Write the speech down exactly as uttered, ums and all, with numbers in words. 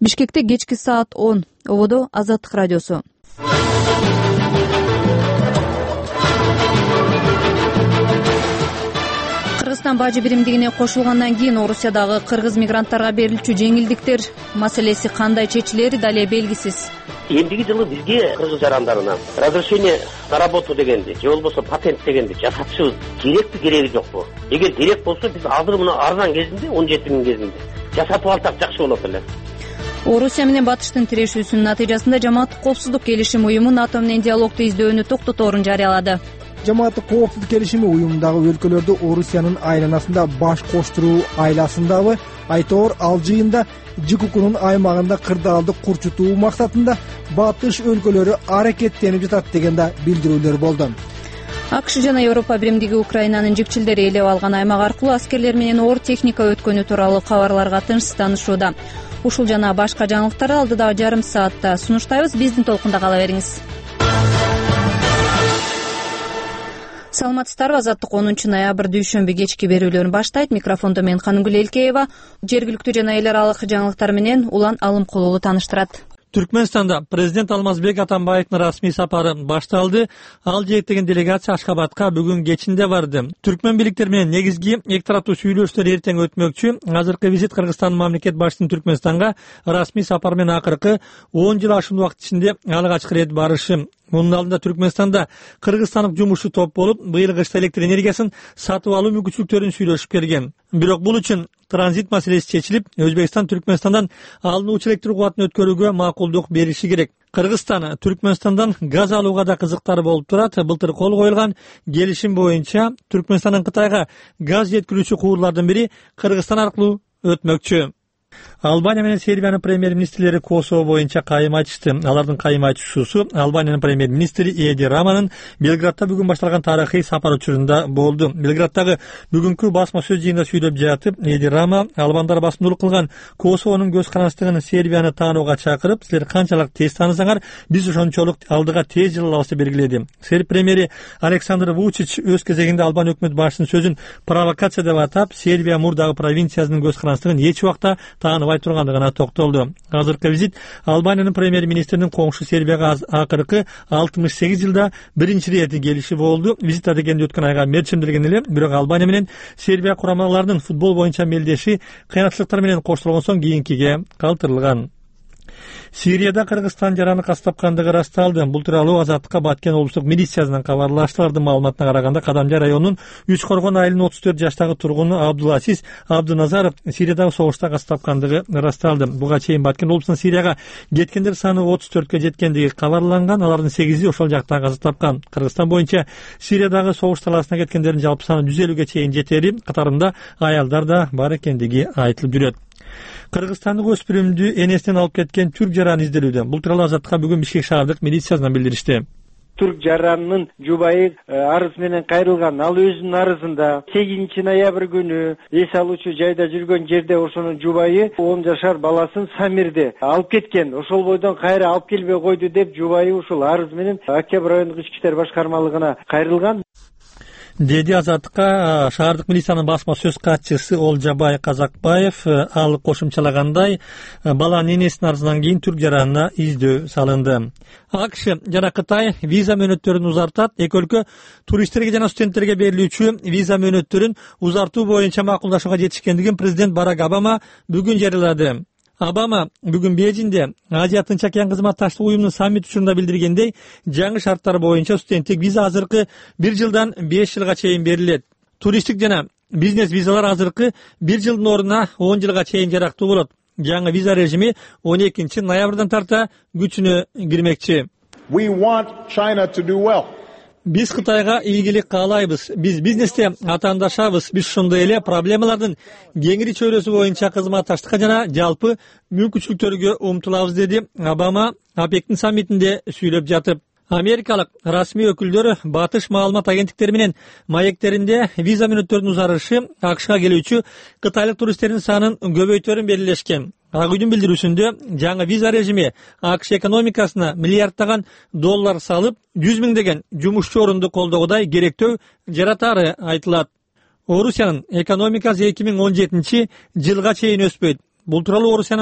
Бишкекте кечки саат он. Ободо Азаттык радиосу. Кыргызстан бажы биримдигине кошулгандан кийин Орусиядагы кыргыз мигранттарга берилчү жеңилдиктер маселеси кандай чечилери дале белгисиз. Эмдиги жылы бизге кыргыз жарандарына разрешение на работу дегенди же болбосо патент дегенди жасатышыбыз керекпи кереги жокпу? Эгер керек болсо биз азыр мына арзан кезинде он жети миң кезинде жасатып алсак жакшы болот эле. Орусия менен Батыштын тирешүүсүнүн натыйжасында Жамааттык коопсуздук келишими уюму НАТО менен диалогду издөөнү токтоторун жарыялады. Жамааттык коопсуздук келишими уюмундагы өлкөлөрдү Орусиянын айланасында баш коштуруу айласындабы айтоор ал жыйында ЖККнын аймагында кырдаалды курчутуу максатында Батыш өлкөлөрү аракеттенип жатат деген да билдирүүлөр болду. АКШ жана Европа биримдиги Украинанын жикчилдери ээлеп алган аймак аркылуу аскерлер менен оор техника өткөнү тууралуу кабарларга тынчсызданышууда. Ушул жана башка жаңылыктарды алдыдагы жарым саатта сунуштайбыз. Биздин толкунда кала бериңиз. Саламатсыздарбы? Азаттык онунчу ноябрь дүйшөмбү кечки берүүлөрүн баштайт. Микрофондо мен Каныгүл Элкеева. Жергиликтүү жана эл аралык жаңылыктар менен Улан Алымкулуулу тааныштырат. Түркмөнстанда президент Алмазбек Атамбаевдин расмий сапары башталды. Ал жетектеген делегация Ашхабадка бүгүн кечинде барды. Түркмөн бийликтери менен негизги эки тараптуу сүйлөшүүлөр эртең өтмөкчү. Азыркы визит Кыргызстандын мамлекет башчысынын Түркмөнстанга расмий сапары менен акыркы он жыл ашуун убакыт ичинде алгачкы ирет барышы. Мунун алдында Түркмөнстанда кыргызстандык жумушчу топ болуп, быйыл кышта электр энергиясын сатып алуу мүмкүнчүлүктөрүн сүйлөшүп келген. Бирок бул үчүн транзит маселеси чечилип, Өзбекстан Түркмөнстандан алынуучу электр кубатын өткөрүүгө макулдук бериши керек. Кыргызстан Түркмөнстандан газ алууга да кызыктары болуп турат. Былтыр кол коюлган келишим боюнча Түркмөнстандын Кытайга газ жеткирүүчү куурлардын бири Кыргызстан аркылуу өтмөкчү. Албания менен Сербиянын премьер-министрлери Косово боюнча кайым айтышты. Алардын кайым айтышуусу Албаниянын премьер-министри Эди Раманын Белградта бүгүн башталган тарыхый сапар учурунда болду. Белградтагы бүгүнкү басма сөз жыйынында сүйлөп жатып, Эди Рама албандар басымдуулук кылган Косовонун көз карандыгын Сербияны таанууга чакырып, силер канчалык тез таанысаңар, биз ошончолук алдыга тез жыла алабыз деп белгиледи. Серб премьери Александр Вучич өз кезегинде Албания өкмөт башчысынын сөзүн провокация деп атап, Сербия мурдагы провинциясынын көз карандыгын эч убакта тааныбай тургандыгына токтолду. Азыркы визит Албаниянын премьер-министринин коңшу Сербияга акыркы алтымыш сегиз жылда биринчи ирет келиши болду. Визит адегенде өткөн айга мерчимделген эле, бирок Албания менен Сербия курамаларынын футбол боюнча мелдеши кыйынчылыктар менен коштолгон соң кийинкиге калтырылган. Сирияда Кыргызстан жараны кастапкандыгы ырасталды. Бул тууралуу Азаттыкка Баткен облустук милициясынан кабарлашты. Алардын маалыматына караганда Кадамжай районунун Үч Коргон айылынын отуз төрт жаштагы тургуну Абдуласиз Абдуназаров Сириядагы согушта кастапкандыгы ырасталды. Буга чейин Баткен облусунун Сирияга кеткендер саны отуз төрткө жеткендиги кабарланган. Алардын сегизи ошол жакта каза тапкан. Кыргызстан боюнча Сириядагы согуш талаасына кеткендердин жалпы саны жүз элүүгө чейин жетери, катарында аялдар да бар экендиги айтылып жүрөт. Кыргызстандык өспүрүмдү энесинен алып кеткен түрк жараны изделүүдө. Бул тууралуу Азаттыкка бүгүн Бишкек шаардык милициясынан билдиришти. Түрк жаранынын жубайы арыз менен кайрылган. Ал өзүнүн арызында сегизинчи ноябрь күнү эс алуучу жайда жүргөн жерде ошонун жубайы он жашар баласын Самирде алып кеткен. Ошол бойдон кайра алып келбей койду деп жубайы ушул арыз менен Октябрь райондук ички иштер башкармалыгына кайрылган. Деди Азаттыкка шаардык милициянын басма сөз катчысы Олжабай Казакбаев. Ал кошумчалагандай, баланын энесинин арызынан кийин түрк жаранына издөө салынды. АКШ жана Кытай виза мөөнөттөрүн узартат. Эки өлкө туристтерге жана студенттерге берилүүчү виза мөөнөттөрүн узартуу боюнча макулдашууга жетишкендигин президент Барак Обама бүгүн жарыялады. Обама бүгүн Бейжиңде Азия Тынч океан кызматташтык уюмунун саммит учурунда билдиргендей, жаңы шарттар боюнча студенттик виза азыркы бир жылдан беш жылга чейин берилет. Туристтик жана бизнес визалар азыркы бир жылдын ордуна он жылга чейин жарактуу болот. Жаңы виза режими он экинчи ноябрдан тарта күчүнө кирмекчи. We want China to do well. Биз Кытайга ийгилик каалайбыз. Биз бизнесте атаандашабыз. Биз ошондой эле проблемалардын кеңири чөйрөсү боюнча кызматташтыкка жана жалпы мүмкүнчүлүктөргө умтулабыз, деди Обама ОПЕКтин саммитинде сүйлөп жатып. Америкалык расмий өкүлдөр Батыш маалымат агенттиктери менен маектеринде виза мөөнөттөрүнүн узарышы АКШга келүүчү кытайлык туристтердин санын көбөйтөрүн белгилешкен. Ак үйдүн билдирүүсүндө жаңы виза режими АКШ экономикасына миллиардтаган доллар салып, жүз миңдеген жумушчу орунду колдогудай керектөө жаратары айтылат. Орусиянын экономикасы эки миң он жетинчи жылга чейин өспөйт. Бул тууралуу Орусиянын